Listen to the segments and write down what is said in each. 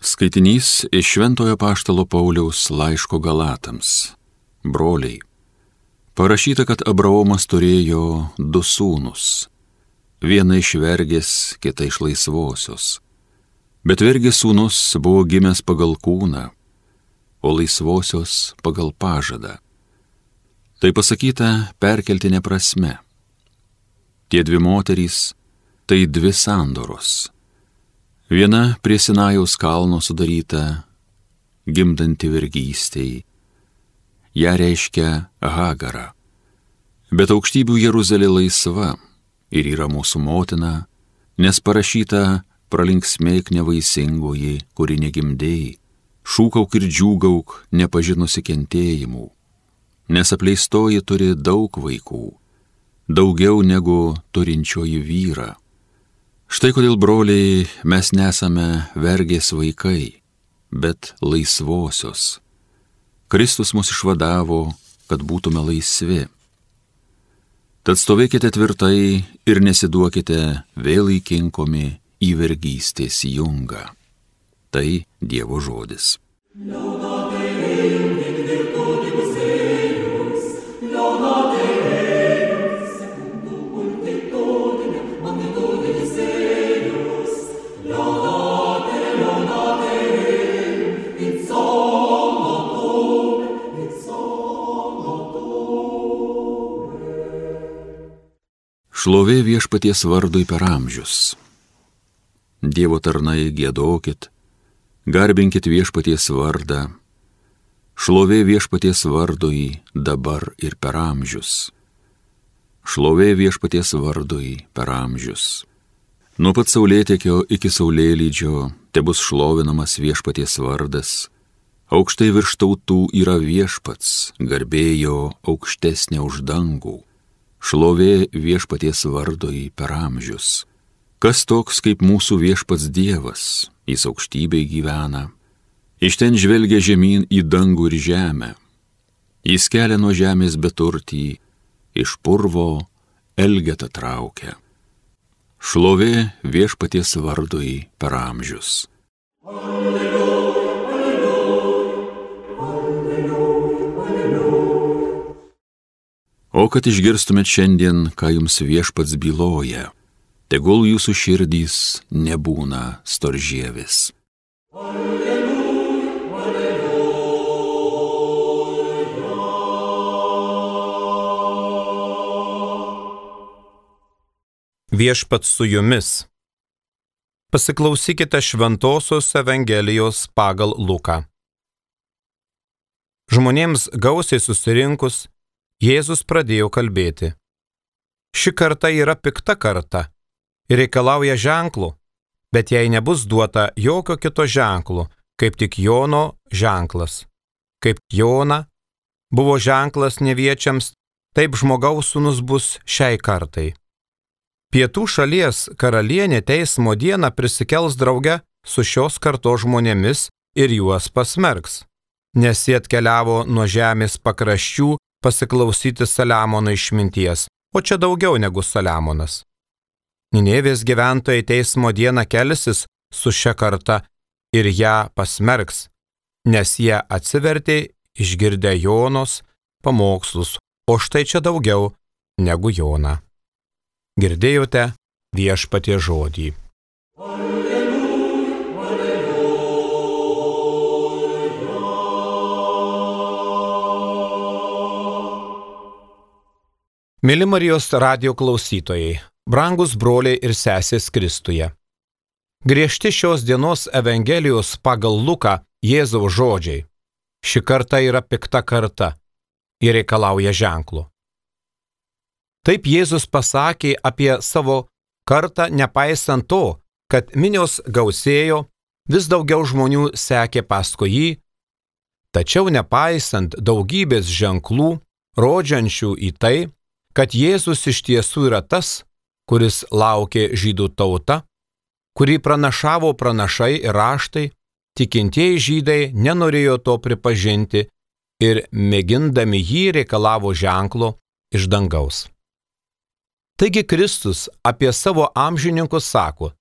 Skaitinys iš Šventojo Apaštalo Pauliaus laiško Galatams. Broliai, parašyta, kad Abraomas turėjo du sūnus. Vieną iš vergės, kitą iš laisvosios. Bet vergės sūnus buvo gimęs pagal kūną, o laisvosios pagal pažadą. Tai pasakyta perkeltinė prasme. Tie dvi moterys – tai dvi sandoros. Viena prie Sinajaus kalno sudaryta, gimdanti vergystei. Ja reiškia Hagarą. Bet aukštybių Jeruzalė laisva ir yra mūsų motina, nes parašyta pralinksmėk nevaisingoji, kuri negimdėjai, šūkauk ir džiūgauk nepažinusi kentėjimų, nes apleistoji turi daug vaikų, daugiau negu turinčioji vyrą. Štai kodėl, broliai, mes nesame vergės vaikai, bet laisvosios. Kristus mus išvadavo, kad būtume laisvi. Tad stovėkite tvirtai ir nesiduokite vėl įkinkomi į vergystės jungą. Tai Dievo žodis. Šlovė Viešpaties vardui per amžius. Dievo tarnai, giedokit, garbinkit Viešpaties vardą. Šlovė Viešpaties vardui dabar ir per amžius. Šlovė Viešpaties vardui per amžius. Nuo pat saulėtekio iki saulėlydžio tebus šlovinamas Viešpaties vardas. Aukštai virš tautų yra Viešpats, garbė jo aukštesnė už dangų. Šlovė Viešpaties vardui per amžius. Kas toks kaip mūsų Viešpats Dievas, jis aukštybėj gyvena. Iš ten žvelgia žemyn į dangų ir žemę. Jis kelia nuo žemės beturtį, iš purvo elgetą traukia. Šlovė Viešpaties vardui per amžius. O kad išgirstumėt šiandien, ką jums Viešpats byloja, tegul jūsų širdys nebūna storžievis. Viešpats su jumis. Pasiklausykite Šventosios Evangelijos pagal Luką. Žmonėms gausiai susirinkus, Jėzus pradėjo kalbėti. Ši karta yra pikta karta ir reikalauja ženklų, bet jai nebus duota jokio kito ženklo, kaip tik Jono ženklas. Kaip Jona buvo ženklas neviečiams, taip žmogaus sūnus bus šiai kartai. Pietų šalies karalienė teismo dieną prisikels drauge su šios kartos žmonėmis ir juos pasmerks, nes jie atkeliavo nuo žemės pakraščių pasiklausyti Saliamono išminties, o čia daugiau negu Saliamonas. Ninevės gyventojai teismo dieną kelsis su šia karta ir ją pasmerks, nes jie atsivertė išgirdę Jonos pamokslus, o štai čia daugiau negu Jona. Girdėjote Viešpaties žodį. Mėly Marijos radijo klausytojai, brangus broliai ir sesės Kristuje. Griežti šios dienos Evangelijos pagal Luką Jėzaus žodžiai. Ši karta yra pikta karta ir reikalauja ženklų. Taip Jėzus pasakė apie savo kartą, nepaisant to, kad minios gausėjo, vis daugiau žmonių sekė paskui jį, tačiau nepaisant daugybės ženklų, rodžiančių į tai, kad Jėzus iš tiesų yra tas, kuris laukė žydų tauta, kurį pranašavo pranašai ir raštai, tikintieji žydai nenorėjo to pripažinti ir mėgindami jį reikalavo ženklo iš dangaus. Taigi Kristus apie savo amžininkus sako,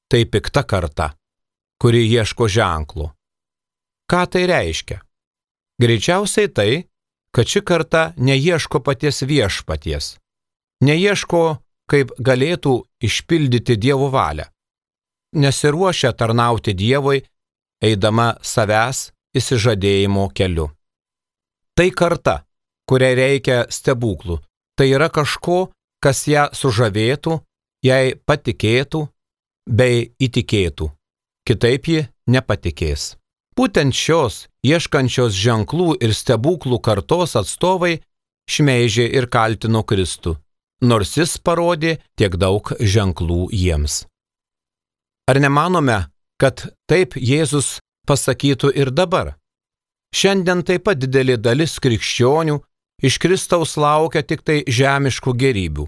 tai pikta karta. kuri ieško ženklų. Ką tai reiškia? Greičiausiai tai, kad ši karta neieško paties viešpaties, neieško, kaip galėtų išpildyti Dievo valią, nesiruošia tarnauti Dievui, eidama savęs išsižadėjimo keliu. Tai karta, kuriai reikia stebuklų, tai yra kažko, kas ją sužavėtų, jai patikėtų bei įtikėtų. Kitaip ji nepatikės. Būtent šios ieškančios ženklų ir stebuklų kartos atstovai šmeižė ir kaltino Kristų, nors jis parodė tiek daug ženklų jiems. Ar nemanome, kad taip Jėzus pasakytų ir dabar? Šiandien taip pat didelė dalis krikščionių iš Kristaus laukia tik tai žemiškų gėrybių,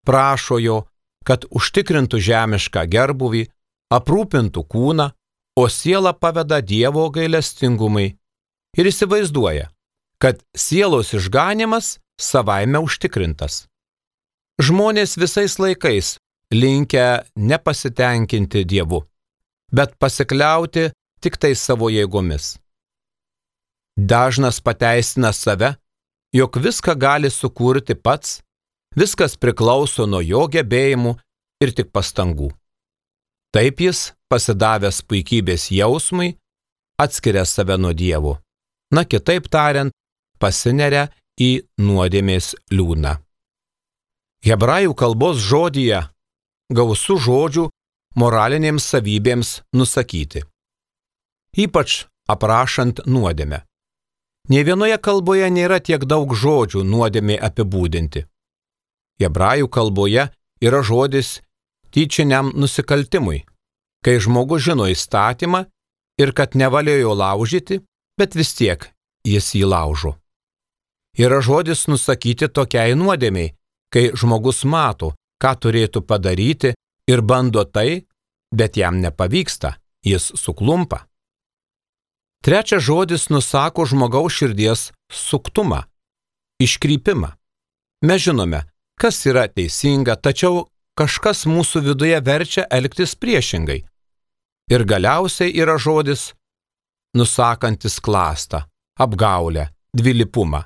prašo jo, kad užtikrintų žemišką gerbūvį, aprūpintų kūną, o sielą paveda Dievo gailestingumui ir įsivaizduoja, kad sielos išganymas savaime užtikrintas. Žmonės visais laikais linkę nepasitenkinti Dievu, bet pasikliauti tik tai savo jėgomis. Dažnas pateisina save, jog viską gali sukurti pats, viskas priklauso nuo jo gebėjimų ir tik pastangų. Taip jis, pasidavęs puikybės jausmui, atskiria save nuo Dievo. Na, kitaip tariant, pasineria į nuodėmės liūną. Hebrajų kalbos žodyje gausu žodžių moralinėms savybėms nusakyti, ypač aprašant nuodėmę. Nė vienoje kalboje nėra tiek daug žodžių nuodėmė apibūdinti. Hebrajų kalboje yra žodis tyčiniam nusikaltimui, kai žmogus žino įstatymą ir kad nevalia jo laužyti, bet vis tiek jis jį laužo. Yra žodis nusakyti tokiai nuodėmei, kai žmogus mato, ką turėtų padaryti ir bando tai, bet jam nepavyksta, jis suklumpa. Trečias žodis nusako žmogaus širdies suktumą, iškrypimą. Mes žinome, kas yra teisinga, tačiau kažkas mūsų viduje verčia elgtis priešingai. Ir galiausiai yra žodis nusakantis klastą, apgaulę, dvilypumą,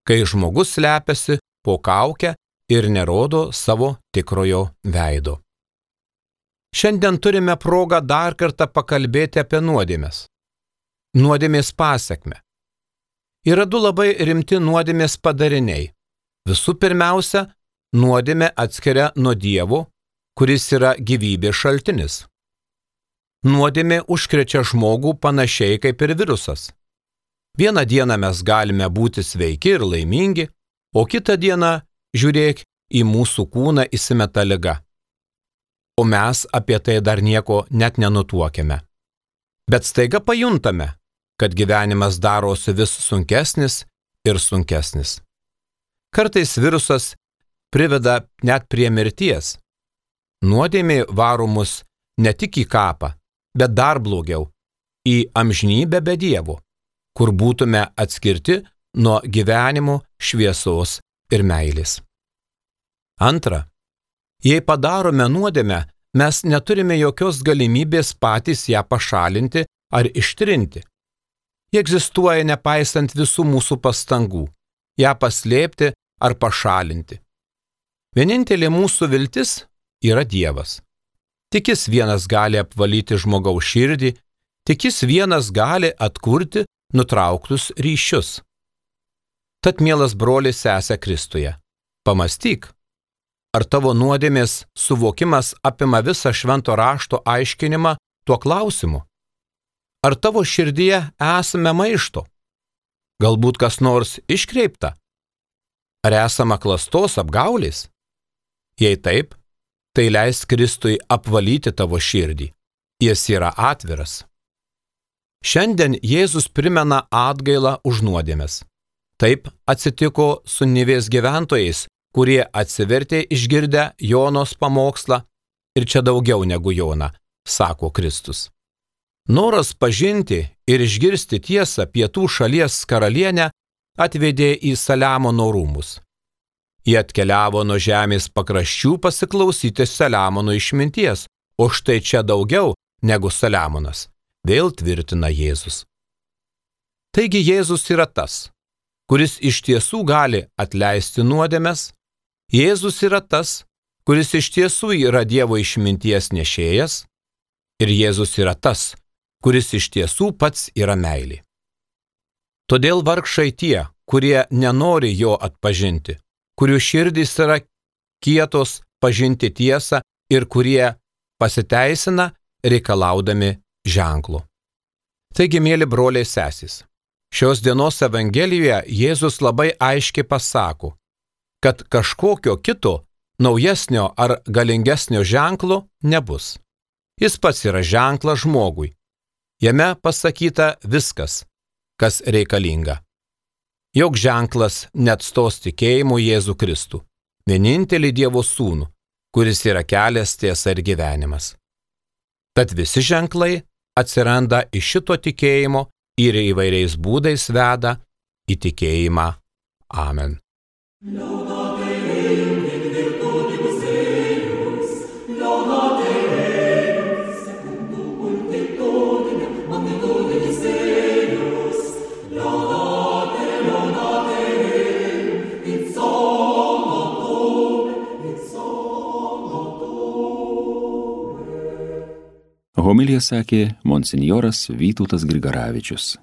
kai žmogus slepiasi po kaukę ir nerodo savo tikrojo veido. Šiandien turime progą dar kartą pakalbėti apie nuodėmes. Nuodėmės pasekmę. Yra du labai rimti nuodėmės padariniai. Visų pirmiausia, nuodėmė atskiria nuo Dievo, kuris yra gyvybės šaltinis. Nuodėmė užkrečia žmogų panašiai kaip ir virusas. Vieną dieną mes galime būti sveiki ir laimingi, o kitą dieną, žiūrėk, į mūsų kūną įsimeta liga. O mes apie tai dar nieko net nenutuokiame. Bet staiga pajuntame, kad gyvenimas darosi vis sunkesnis ir sunkesnis. Kartais virusas priveda net prie mirties. Nuodėmė varo mus ne tik į kapą, bet dar blogiau – į amžinybę be Dievo, kur būtume atskirti nuo gyvenimo, šviesos ir meilės. Antra, jei padarome nuodėmę, mes neturime jokios galimybės patys ją pašalinti ar ištrinti. Ji egzistuoja nepaisant visų mūsų pastangų, ją paslėpti ar pašalinti. Vienintelė mūsų viltis yra Dievas. Tik jis vienas gali apvalyti žmogaus širdį, tik jis vienas gali atkurti nutrauktus ryšius. Tad, mielas brolis, sesė Kristuje, pamąstyk, ar tavo nuodėmės suvokimas apima visą švento rašto aiškinimą tuo klausimu? Ar tavo širdyje esame maišto? Galbūt kas nors iškreipta? Ar esama klastos apgaulės? Jei taip, tai leisk Kristui apvalyti tavo širdį. Jis yra atviras. Šiandien Jėzus primena atgailą už nuodėmes. Taip atsitiko su Nivės gyventojais, kurie atsivertė išgirdę Jonos pamokslą ir čia daugiau negu Jona, sako Kristus. Noras pažinti ir išgirsti tiesą pietų šalies karalienę atvedė į Saliamono rūmus. Jie atkeliavo nuo žemės pakraščių pasiklausyti Saliamono išminties, o štai čia daugiau negu Saliamonas. vėl tvirtina Jėzus. Taigi Jėzus yra tas, kuris iš tiesų gali atleisti nuodėmes, Jėzus yra tas, kuris iš tiesų yra Dievo išminties nešėjas, ir Jėzus yra tas, kuris iš tiesų pats yra meilė. Todėl vargšai tie, kurie nenori jo atpažinti, kurių širdys yra kietos pažinti tiesą ir kurie pasiteisina reikalaudami ženklo. Taigi, mėly broliai sesės, šios dienos Evangelijoje Jėzus labai aiškiai pasako, kad kažkokio kito naujesnio ar galingesnio ženklo nebus. Jis pats yra ženklas žmogui. Jame pasakyta viskas, kas reikalinga. Jok ženklas neatstos tikėjimu Jėzų Kristų, vienintelį Dievo sūnų, kuris yra kelias, tiesa ir gyvenimas. Tad visi ženklai atsiranda iš šito tikėjimo ir įvairiais būdais veda į tikėjimą. Amen. Homiliją sakė monsinjoras Vytautas Grigaravičius.